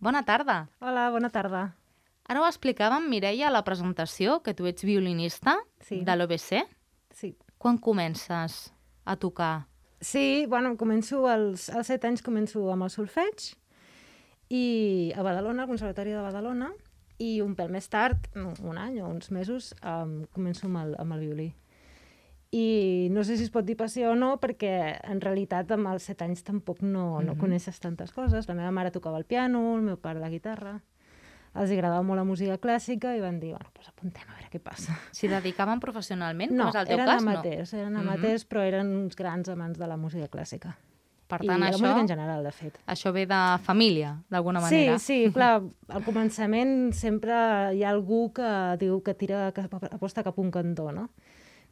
Bona tarda. Hola, bona tarda. Ara ho explicava amb Mireia a la presentació, que tu ets violinista de l'OBC. Sí. Quan comences a tocar? Sí, bueno, als 7 anys començo amb el solfeig i a Badalona, al Conservatori de Badalona, i un pèl més tard, un any o uns mesos, començo amb el violí. I no sé si es pot dir passió o no, perquè en realitat amb els 7 anys tampoc no coneixes tantes coses. La meva mare tocava el piano, el meu pare la guitarra. Els agradava molt la música clàssica i van dir, bueno, doncs apuntem a veure què passa. S'hi dedicaven professionalment, No, com és el teu eren cas? amateurs, eren amateurs, però eren uns grans amants de la música clàssica. Per I tant, de la música en general, de fet. Això ve de família, d'alguna manera. Sí, clar, al començament sempre hi ha algú que diu que aposta cap a un cantó, no?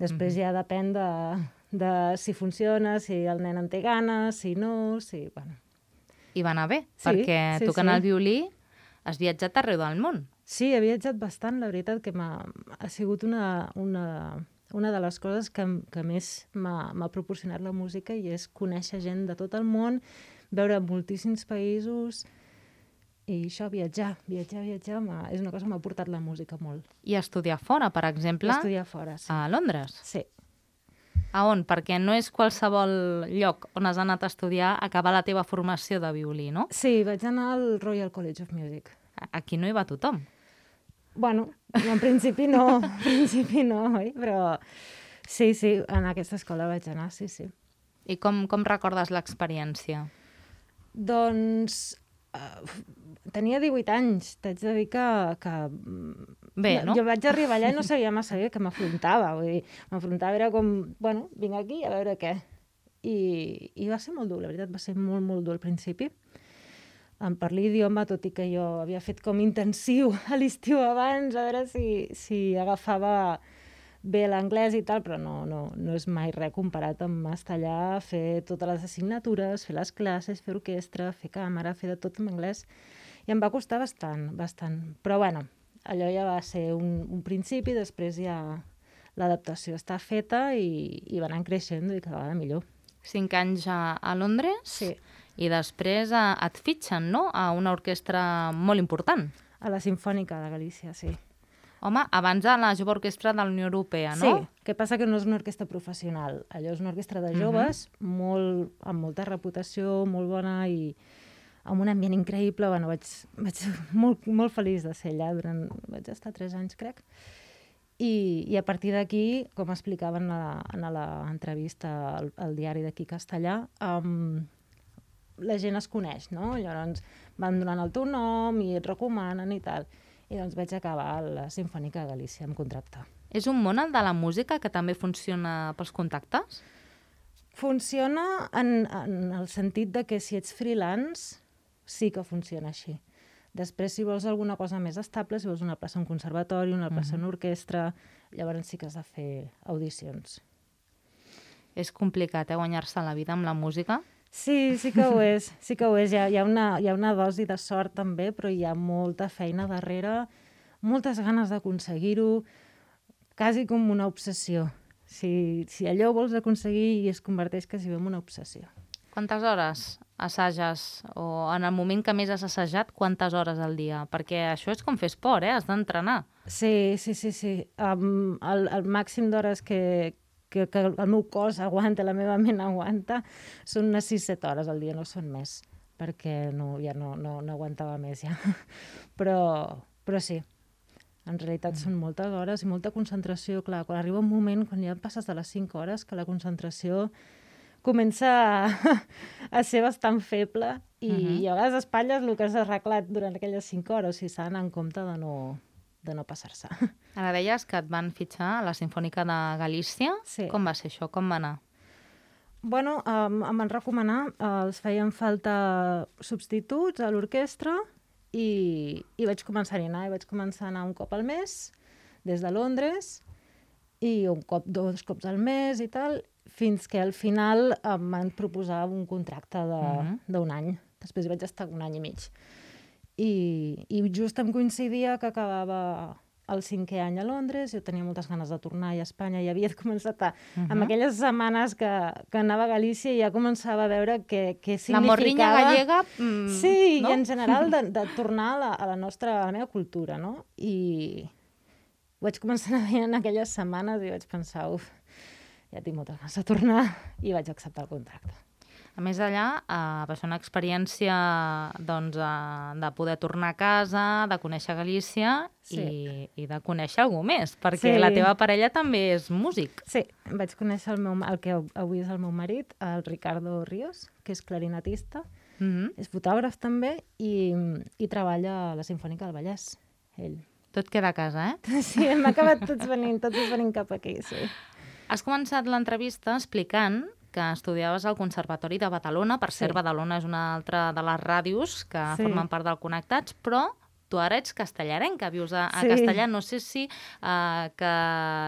Després ja depèn de si funciona, si el nen en té ganes, si no, si... Bueno. I va anar bé, Sí, perquè sí, tocant sí. el violí has viatjat arreu del món. Sí, he viatjat bastant, la veritat que ha sigut una de les coses que més m'ha proporcionat la música, i és conèixer gent de tot el món, veure moltíssims països, i això, viatjar és una cosa que m'ha portat la música molt. I estudiar fora, per exemple, Estudiar fora, sí. a Londres. Sí. A on? Perquè no és qualsevol lloc on has anat a estudiar, acabar la teva formació de violí, no? Sí, vaig anar al Royal College of Music. Aquí no hi va tothom. Bueno, en principi no, oi? Però sí, en aquesta escola vaig anar, sí. I com recordes l'experiència? Doncs tenia 18 anys, t'haig de dir que bé, no? Jo vaig arribar allà i no sabia massa bé què m'afrontava. Vull dir, m'afrontava, era com, bueno, vinc aquí a veure què. I va ser molt dur, la veritat, va ser molt, molt dur al principi. Per l'idioma, tot i que jo havia fet com intensiu a l'estiu abans, a veure si agafava bé l'anglès i tal, però no és mai res comparat amb estar allà, fer totes les assignatures, fer les classes, fer orquestra, fer càmera, fer de tot en anglès. I em va costar bastant. Però bueno, allò ja va ser un principi, després ja l'adaptació està feta i va anar creixent i cada vegada millor. 5 anys a Londres? Sí. I després et fitxen, no?, a una orquestra molt important. A la Simfònica de Galícia, sí. Home, abans a la Jove Orquestra de la Unió Europea, no? Sí, que passa que no és una orquestra professional. Allò és una orquestra de joves, amb molta reputació, molt bona i amb un ambient increïble. Bueno, vaig molt, molt feliç de ser allà. Vaig estar 3 anys, crec. I a partir d'aquí, com explicaven en l'entrevista al diari d'aquí castellà, la gent es coneix, no? Llavors van donant el teu nom i et recomanen i tal. I doncs vaig acabar a la Simfònica de Galícia amb contracte. És un món, el de la música, que també funciona pels contactes? Funciona en el sentit de que si ets freelance sí que funciona així. Després, si vols alguna cosa més estable, si vols una plaça en un conservatori, una plaça en orquestra, llavors sí que has de fer audicions. És complicat, guanyar-se la vida amb la música? Sí que ho és. Hi ha una dosi de sort també, però hi ha molta feina darrere, moltes ganes d'aconseguir-ho, quasi com una obsessió. Si allò vols aconseguir, es converteix quasi en una obsessió. Quantes hores assages? O en el moment que més has assajat, quantes hores al dia? Perquè això és com fer esport, has d'entrenar. Sí. El màxim d'hores que el meu cos aguanta, la meva ment aguanta, són unes 6-7 hores al dia, no són més, perquè ja no aguantava més ja. Però sí, en realitat són moltes hores i molta concentració. Clar, quan arriba un moment, quan ja passes de les 5 hores, que la concentració comença a ser bastant feble i a vegades espatlles el que has arreglat durant aquelles 5 hores, i s'ha d'anar en compte de no passar-se. Ara deies que et van fitxar a la Simfònica de Galícia. Sí. Com va ser això? Com va anar? Bueno, em van recomanar, els feien falta substituts a l'orquestra i vaig començar a anar. Vaig començar a anar un cop al mes, des de Londres, i dos cops al mes i tal, fins que al final em van proposar un contracte d'un any. Després vaig estar un any i mig. I just em coincidia que acabava el 5è any a Londres, jo tenia moltes ganes de tornar a Espanya i havia començat amb aquelles setmanes que anava a Galícia i ja començava a veure què significava... La morriña gallega, sí, no? I en general de tornar a la meva cultura, no? I vaig començar a veure en aquelles setmanes i vaig pensar, ja tinc moltes ganes de tornar, i vaig acceptar el contracte. A més allà, va ser una experiència doncs, de poder tornar a casa, de conèixer Galícia i de conèixer algú més, perquè la teva parella també és músic. Sí, vaig conèixer el que avui és el meu marit, el Ricardo Ríos, que és clarinetista, és fotògraf també i treballa a la Simfònica del Vallès, ell. Tot queda a casa, eh? Sí, hem acabat tots venint cap aquí, sí. Has començat l'entrevista explicant que estudiaves al Conservatori de Badalona. Per cert, Badalona és una altra de les ràdios que formen part del Connectats, però tu ara ets castellarenca, vius a Castellà. No sé si que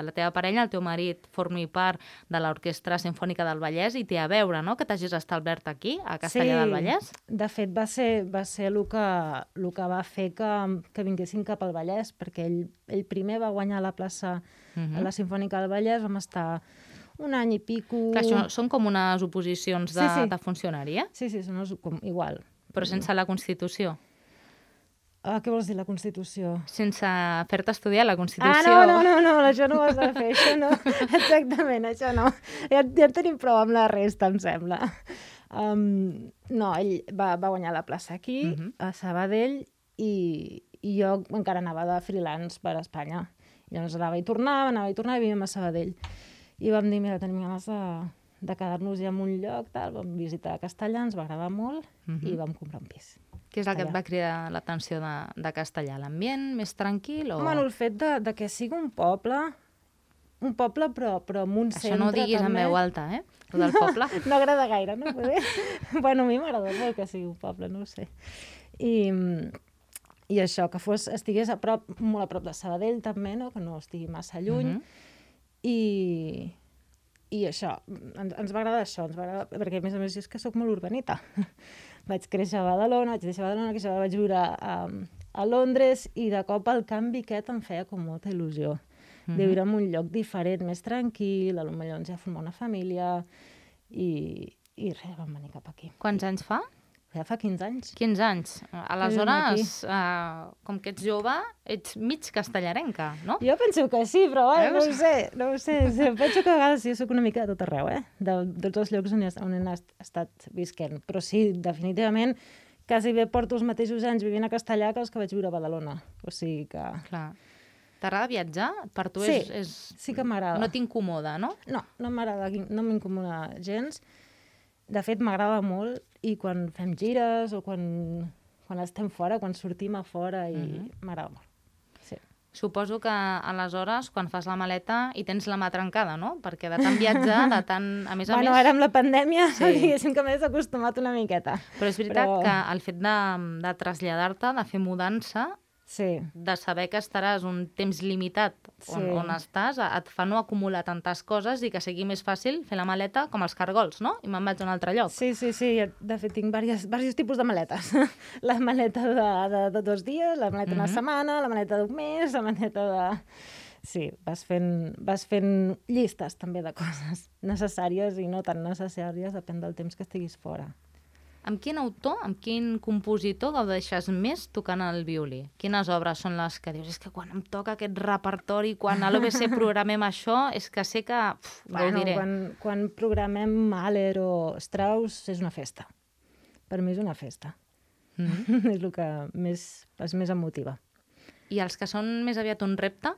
la teva parella, el teu marit, formi part de l'Orquestra Simfònica del Vallès i té a veure, no?, que t'hagis establert aquí, a Castellà del Vallès. De fet, va ser el que va fer que vinguessin cap al Vallès, perquè ell primer va guanyar la plaça a la Simfònica del Vallès, vam estar un any i pico... Clar, això són com unes oposicions de funcionari, eh? Sí, són igual. Però sense la Constitució. Què vols dir, la Constitució? Sense fer-te estudiar la Constitució. No, això no ho has de fer, això no. Exactament, això no. Ja tenim prou amb la resta, em sembla. No, ell va guanyar la plaça aquí, a Sabadell, i jo encara anava de freelance per Espanya. Llavors anava i tornava i vivíem a Sabadell. I vam dir, mira, tenim ganes de quedar-nos ja en un lloc, vam visitar Castellà, ens va agradar molt i vam comprar un pis. Què és el que et va cridar l'atenció de Castellà? L'ambient més tranquil? Bueno, el fet de que sigui un poble però amb un centre també. Això no ho diguis en veu alta, eh? El del poble. No agrada gaire, no? Bueno, a mi m'agrada molt que sigui un poble, no ho sé. I això, que estigués molt a prop de Sabadell també, no? Que no estigui massa lluny. I això, ens va agradar això, perquè a més és que sóc molt urbanita. Vaig créixer a Badalona, vaig viure a Londres i de cop el canvi aquest em feia com molta il·lusió. De viure en un lloc diferent, més tranquil, potser ens ja formar una família i res, vam venir cap aquí. Quants anys fa? Ja fa 15 anys. 15 anys. Aleshores, com que ets jove, ets mig castellarenca, no? Jo penso que sí, però no ho sé. Penso que a vegades jo soc una mica de tot arreu, de tots els llocs on he estat visquent. Però sí, definitivament, quasi bé porto els mateixos anys vivint a Castellà que els que vaig viure a Badalona. O sigui que... Clar. T'agrada viatjar? Per tu sí que m'agrada. No t'incomoda, no? No m'agrada, no m'incomoda gens. De fet, m'agrada molt i quan fem gires o quan estem fora, quan sortim a fora, m'agrada molt. Sí. Suposo que aleshores, quan fas la maleta, hi tens la mà trencada, no? Perquè de tant viatjar, de tant... A més, ara amb la pandèmia, diguéssim que m'he acostumat una miqueta. Però és veritat que el fet de traslladar-te, de fer mudança, de saber que estaràs un temps limitat on estàs, et fa no acumular tantes coses i que sigui més fàcil fer la maleta com els cargols, no? I me'n vaig a un altre lloc. Sí. De fet, tinc diversos tipus de maletes. La maleta de 2 dies, la maleta d'una setmana, la maleta d'un mes, la maleta de... Sí, vas fent llistes també de coses necessàries i no tan necessàries, depèn del temps que estiguis fora. Amb quin autor, amb quin compositor gaudeixes més tocant el violí? Quines obres són les que dius, és que quan em toca aquest repertori, quan a l'OBC programem això, és que sé que gaudiré. Quan programem Mahler o Strauss és una festa. Per mi és una festa. És el que més em motiva. I els que són més aviat un repte?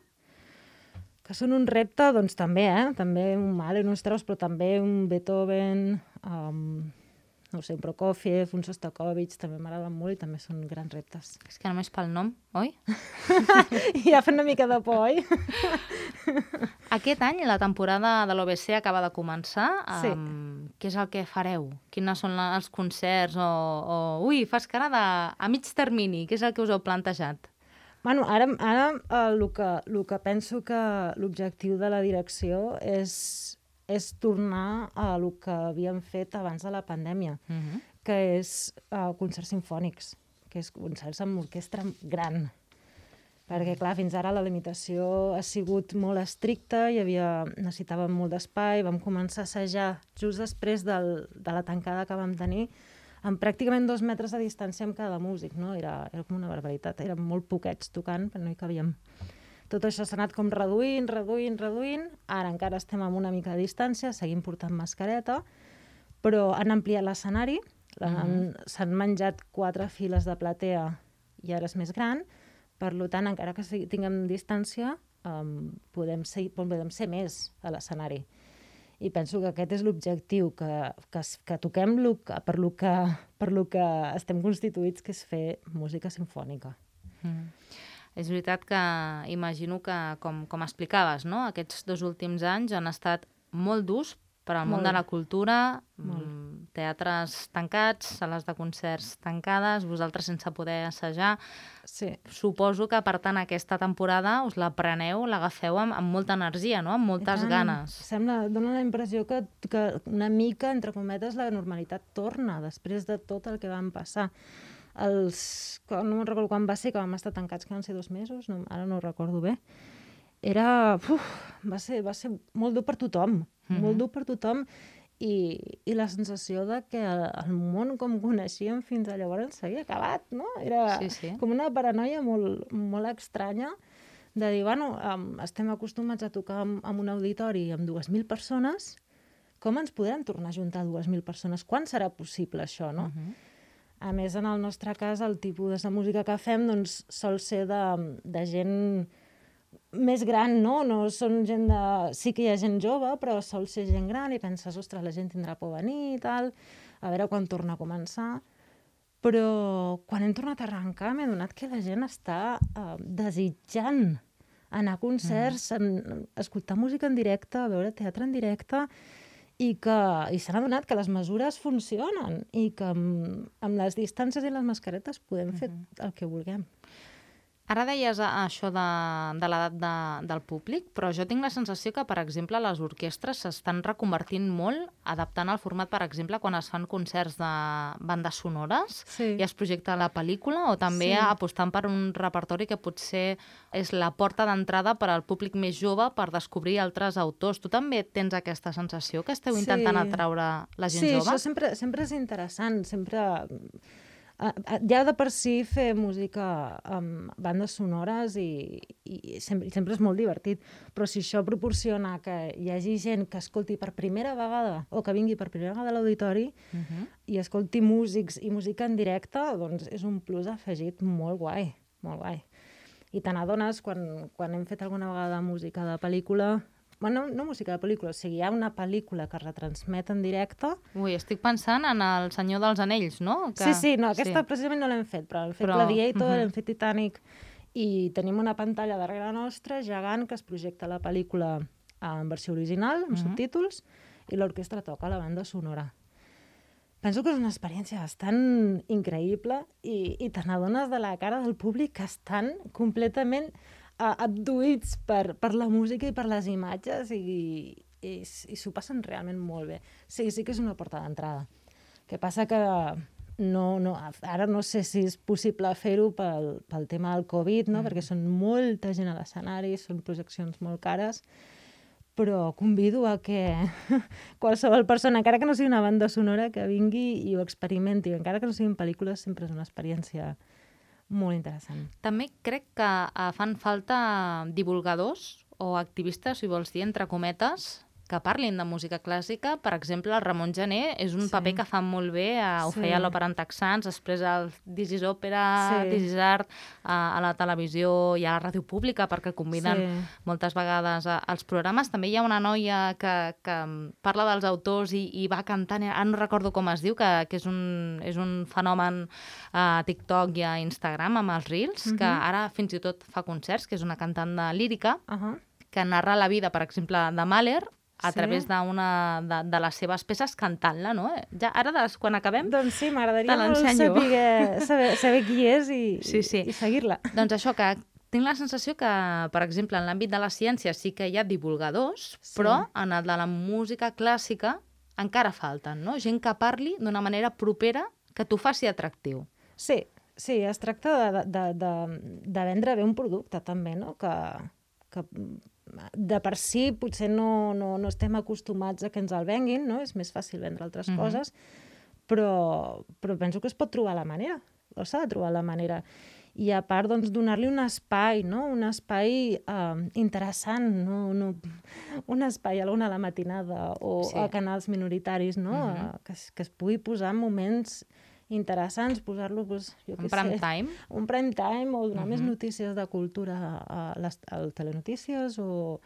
Que són un repte, doncs també, també un Mahler, un Strauss, però també un Beethoven... no sé, un Prokofiev, un Sostakovich, també m'agraden molt i també són grans reptes. És que només pel nom, oi? Ja fa una mica de por, oi? Aquest any la temporada de l'OBC acaba de començar. Sí. Què és el que fareu? Quins són els concerts? Ui, fas cara a mig termini. Què és el que us heu plantejat? Bueno, ara el que penso que l'objectiu de la direcció és tornar a el que havíem fet abans de la pandèmia, que és concerts simfònics, que és concerts amb orquestra gran. Perquè, clar, fins ara la limitació ha sigut molt estricta, necessitàvem molt d'espai, vam començar a assajar just després de la tancada que vam tenir, amb pràcticament 2 metres de distància amb cada músic, no? Era com una barbaritat, érem molt poquets tocant, però no hi cabíem. Tot això s'ha anat com reduint, ara encara estem amb una mica de distància, seguim portant mascareta, però han ampliat l'escenari, s'han menjat 4 files de platea i ara és més gran. Per tant, encara que tinguem distància, podem ser més a l'escenari. I penso que aquest és l'objectiu, que toquem per lo que estem constituïts, que és fer música simfònica. És veritat que imagino que, com explicaves, no? Aquests 2 últims anys han estat molt durs per al món de la cultura, teatres tancats, sales de concerts tancades, vosaltres sense poder assajar. Sí. Suposo que, per tant, aquesta temporada us la preneu, l'agafeu amb molta energia, no? Amb moltes ganes. Dóna la impressió que una mica, entre cometes, la normalitat torna després de tot el que vam passar. No me'n recordo quan va ser, que vam estar tancats, que van ser 2 mesos, ara no ho recordo bé. Va ser molt dur per tothom, molt dur per tothom, i la sensació de que el món com coneixíem fins a llavors s'havia acabat, no? Era com una paranoia molt, molt estranya de dir, estem acostumats a tocar en un auditori amb 2.000 persones, com ens podrem tornar a juntar 2.000 persones? Quan serà possible això, no? A més, en el nostre cas, el tipus de música que fem sol ser de gent més gran, no? No són gent de... Sí que hi ha gent jove, però sol ser gent gran i penses, ostres, la gent tindrà por a venir i tal, a veure quan torna a començar. Però quan hem tornat a arrencar m'he adonat que la gent està desitjant anar a concerts, escoltar música en directe, veure teatre en directe, i s'han adonat que les mesures funcionen i que amb les distàncies i les mascaretes podem fer el que vulguem. Ara deies això de l'edat del públic, però jo tinc la sensació que, per exemple, les orquestres s'estan reconvertint molt, adaptant el format, per exemple, quan es fan concerts de bandes sonores i es projecta la pel·lícula, o també apostant per un repertori que potser és la porta d'entrada per al públic més jove per descobrir altres autors. Tu també tens aquesta sensació que esteu intentant atraure la gent jove? Sí, això sempre és interessant, sempre... Ja de per si fer música amb bandes sonores i sempre és molt divertit, però si això proporciona que hi hagi gent que escolti per primera vegada o que vingui per primera vegada a l'auditori i escolti músics i música en directe, doncs és un plus afegit molt guai, molt guai. I te n'adones quan hem fet alguna vegada música de pel·lícula... Bueno, no música de pel·lícula, o sigui, hi ha una pel·lícula que retransmet en directe... Ui, estic pensant en El Senyor dels Anells, no? Sí, aquesta precisament no l'hem fet, però hem fet Gladiator, hem fet Titanic, i tenim una pantalla darrere nostra gegant que es projecta la pel·lícula en versió original, amb subtítols, i l'orquestra toca la banda sonora. Penso que és una experiència bastant increïble i te n'adones de la cara del públic que estan completament... abduïts per la música i per les imatges i s'ho passen realment molt bé. Sí que és una porta d'entrada. El que passa que ara no sé si és possible fer-ho pel tema del Covid, no? Perquè són molta gent a l'escenari, són projeccions molt cares, però convido a que qualsevol persona, encara que no sigui una banda sonora, que vingui i ho experimenti. Encara que no siguin pel·lícules, sempre és una experiència molt interessant. També crec que fan falta divulgadors o activistes, si vols dir, entre cometes, que parlin de música clàssica. Per exemple, el Ramon Gené és un paper que fa molt bé, ho feia a l'Òpera en Texans, després el This is Òpera, This is Art, a la televisió i a la ràdio pública, perquè conviden moltes vegades als programes. També hi ha una noia que parla dels autors i va cantant, ara no recordo com es diu, que és un fenomen a TikTok i a Instagram amb els Reels, que ara fins i tot fa concerts, que és una cantant de lírica, que narra la vida, per exemple, de Mahler, a través d'una de les seves peces cantant-la, no? Ja, ara, quan acabem, doncs sí, m'agradaria molt saber qui és i seguir-la. Doncs això, que tinc la sensació que, per exemple, en l'àmbit de la ciència sí que hi ha divulgadors, però en el de la música clàssica encara falten, no? Gent que parli d'una manera propera que t'ho faci atractiu. Sí, Sí, es tracta de vendre bé un producte, també, no? Que de per si potser no estem acostumats a que ens el venguin, no? És més fàcil vendre altres coses, però penso que es pot trobar la manera, o s'ha de trobar la manera. I a part, doncs, donar-li un espai, no? Un espai interessant, no? Un espai a l'una a la matinada o a canals minoritaris, no? Que es pugui posar en moments interessants, posar-lo, doncs, jo què sé... Un prime time. Un prime time, o donar més notícies de cultura a telenotícies, o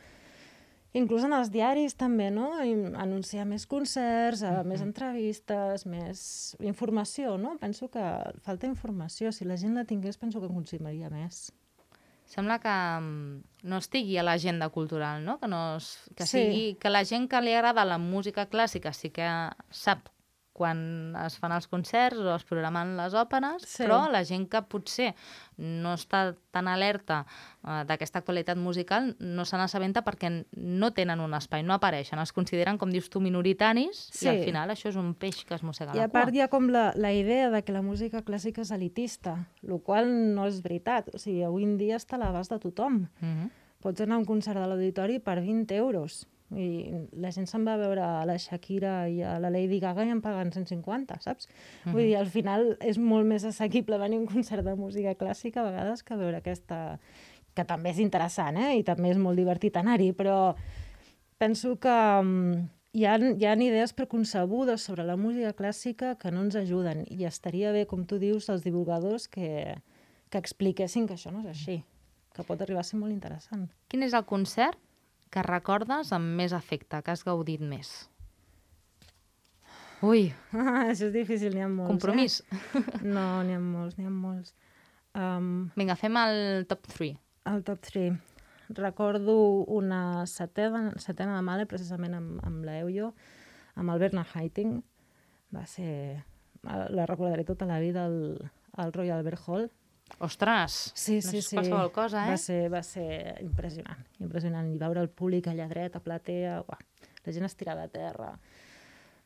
inclús en els diaris també, no? Anunciar més concerts, més entrevistes, més informació, no? Penso que falta informació. Si la gent la tingués, penso que consumiria més. Sembla que no estigui a l'agenda cultural, no? Que la gent que li agrada la música clàssica sí que sap quan es fan els concerts o es programen les òperes, però la gent que potser no està tan alerta d'aquesta actualitat musical no se n'assabenta perquè no tenen un espai, no apareixen, es consideren, com dius tu, minoritaris, i al final això és un peix que es mossega la cua. I a part hi ha com la idea de que la música clàssica és elitista, el qual no és veritat. O sigui, avui en dia està a l'abast de tothom. Pots anar a un concert de l'auditori per 20 euros. I la gent se'n va a veure a la Shakira i a la Lady Gaga i en paguen 150, saps? Vull dir, al final és molt més assequible venir a un concert de música clàssica a vegades que veure aquesta... que també és interessant, i també és molt divertit anar-hi, però penso que hi ha idees preconcebudes sobre la música clàssica que no ens ajuden, i estaria bé, com tu dius, els divulgadors que expliquessin que això no és així, que pot arribar a ser molt interessant. Quin és el concert que recordes amb més afecte, que has gaudit més? Ui! Això és difícil, n'hi ha molts. Compromís? No, n'hi ha molts. Vinga, fem el top 3. El top 3. Recordo una setena de Mahler, precisament amb l'Eujo, amb el Bernard Haitink. Va ser... La recordaré tota la vida al Royal Albert Hall. Ostres! Sí. No és qualsevol cosa, Va ser impressionant. I veure el públic allà dret, a platea, la gent estirada a terra.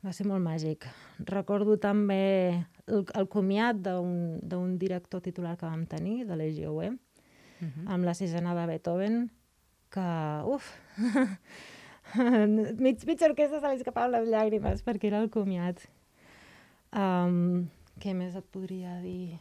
Va ser molt màgic. Recordo també el comiat d'un director titular que vam tenir, de l'EGOE, amb la sisena de Beethoven, que, mitja orquestra se li escapaven les llàgrimes, perquè era el comiat. Què més et podria dir?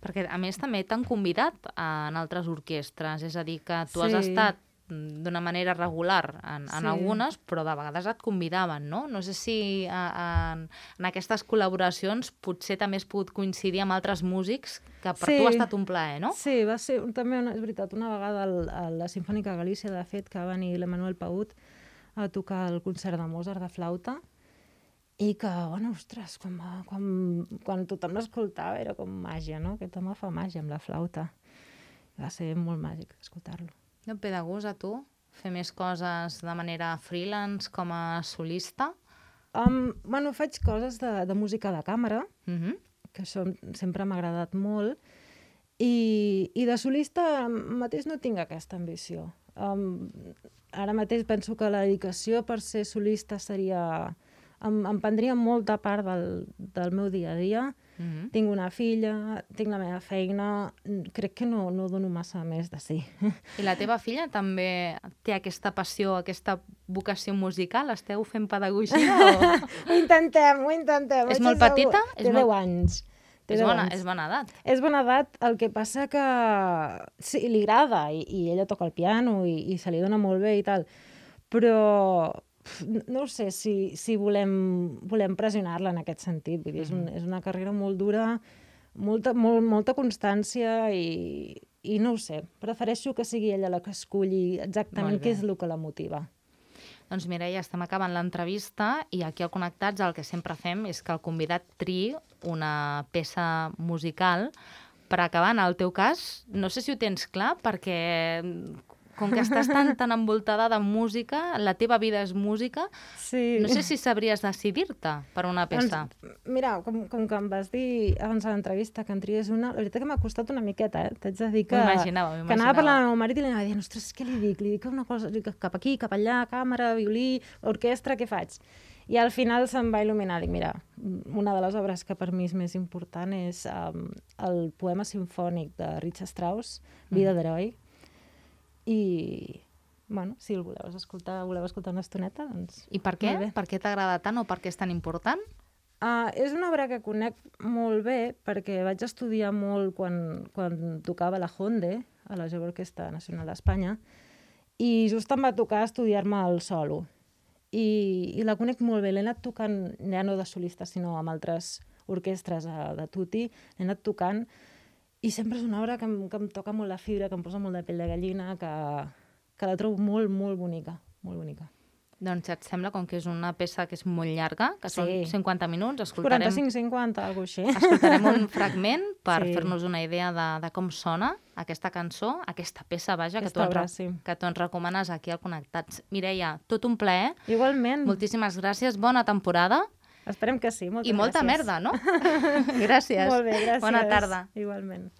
Perquè, a més, també t'han convidat en altres orquestres, és a dir, que tu has estat d'una manera regular en algunes, però de vegades et convidaven, no? No sé si en aquestes col·laboracions potser també has pogut coincidir amb altres músics, que per tu ha estat un plaer, no? Sí, va ser també, és veritat, una vegada a la Sinfònica Galícia, de fet, que va venir l'Emmanuel Paut a tocar el concert de Mozart de flauta, i que, ostres, quan tothom l'escoltava era com màgia, no? Aquest home fa màgia amb la flauta. Va ser molt màgic escoltar-lo. No et ve de gust a tu fer més coses de manera freelance, com a solista? Faig coses de música de càmera, que això sempre m'ha agradat molt, i de solista mateix no tinc aquesta ambició. Ara mateix penso que la dedicació per ser solista seria... Em prendria molta part del meu dia a dia. Tinc una filla, tinc la meva feina, crec que no dono massa més de si. I la teva filla també té aquesta passió, aquesta vocació musical? Esteu fent pedagogia? Ho intentem. És molt petita? Té 10 anys. És bona edat. És bona edat, el que passa que sí, li agrada, i ella toca el piano i se li dona molt bé i tal, però... no ho sé si volem pressionar-la en aquest sentit. Vull dir, és una carrera molt dura, molta constància i no ho sé. Prefereixo que sigui ella la que esculli exactament què és el que la motiva. Doncs Mireia, estem acabant l'entrevista i aquí al Connectats el que sempre fem és que el convidat triï una peça musical per acabar. En el teu cas, no sé si ho tens clar, perquè... com que estàs tan envoltada de música, la teva vida és música, no sé si sabries decidir-te per una peça. Mira, com que em vas dir abans de l'entrevista que en tries una, la veritat que m'ha costat una miqueta, T'haig de dir que... M'imaginava. Que anava parlant amb el meu marit i li anava dient, ostres, què li dic? Li dic una cosa, cap aquí, cap allà, càmera, violí, orquestra, què faig? I al final se'm va il·luminar. Dic, mira, una de les obres que per mi és més important és el poema sinfònic de Richard Strauss, Vida d'heroi. I, bueno, si el voleu escoltar una estoneta, doncs... I per què? Per què t'agrada tant o per què és tan important? És una obra que conec molt bé perquè vaig estudiar molt quan tocava la Honde, a la Jove Orquestra Nacional d'Espanya, i just em va tocar estudiar-me el solo. I la conec molt bé, l'he anat tocant, ja no de solista, sinó amb altres orquestres de tutti, l'he anat tocant, i sempre és una obra que em toca molt la fibra, que em posa molt de pell de gallina, que la trobo molt, molt bonica, molt bonica. Doncs et sembla, com que és una peça que és molt llarga, que són 50 minuts, 45-50, alguna cosa així. Escoltarem un fragment per fer-nos una idea de com sona aquesta cançó, aquesta peça, vaja, que tu ens recomanes aquí al Connectats. Mireia, tot un plaer. Igualment. Moltíssimes gràcies, bona temporada. Esperem que sí, moltes gràcies. I molta merda, no? Gràcies. Molt bé, gràcies. Bona tarda. Igualment.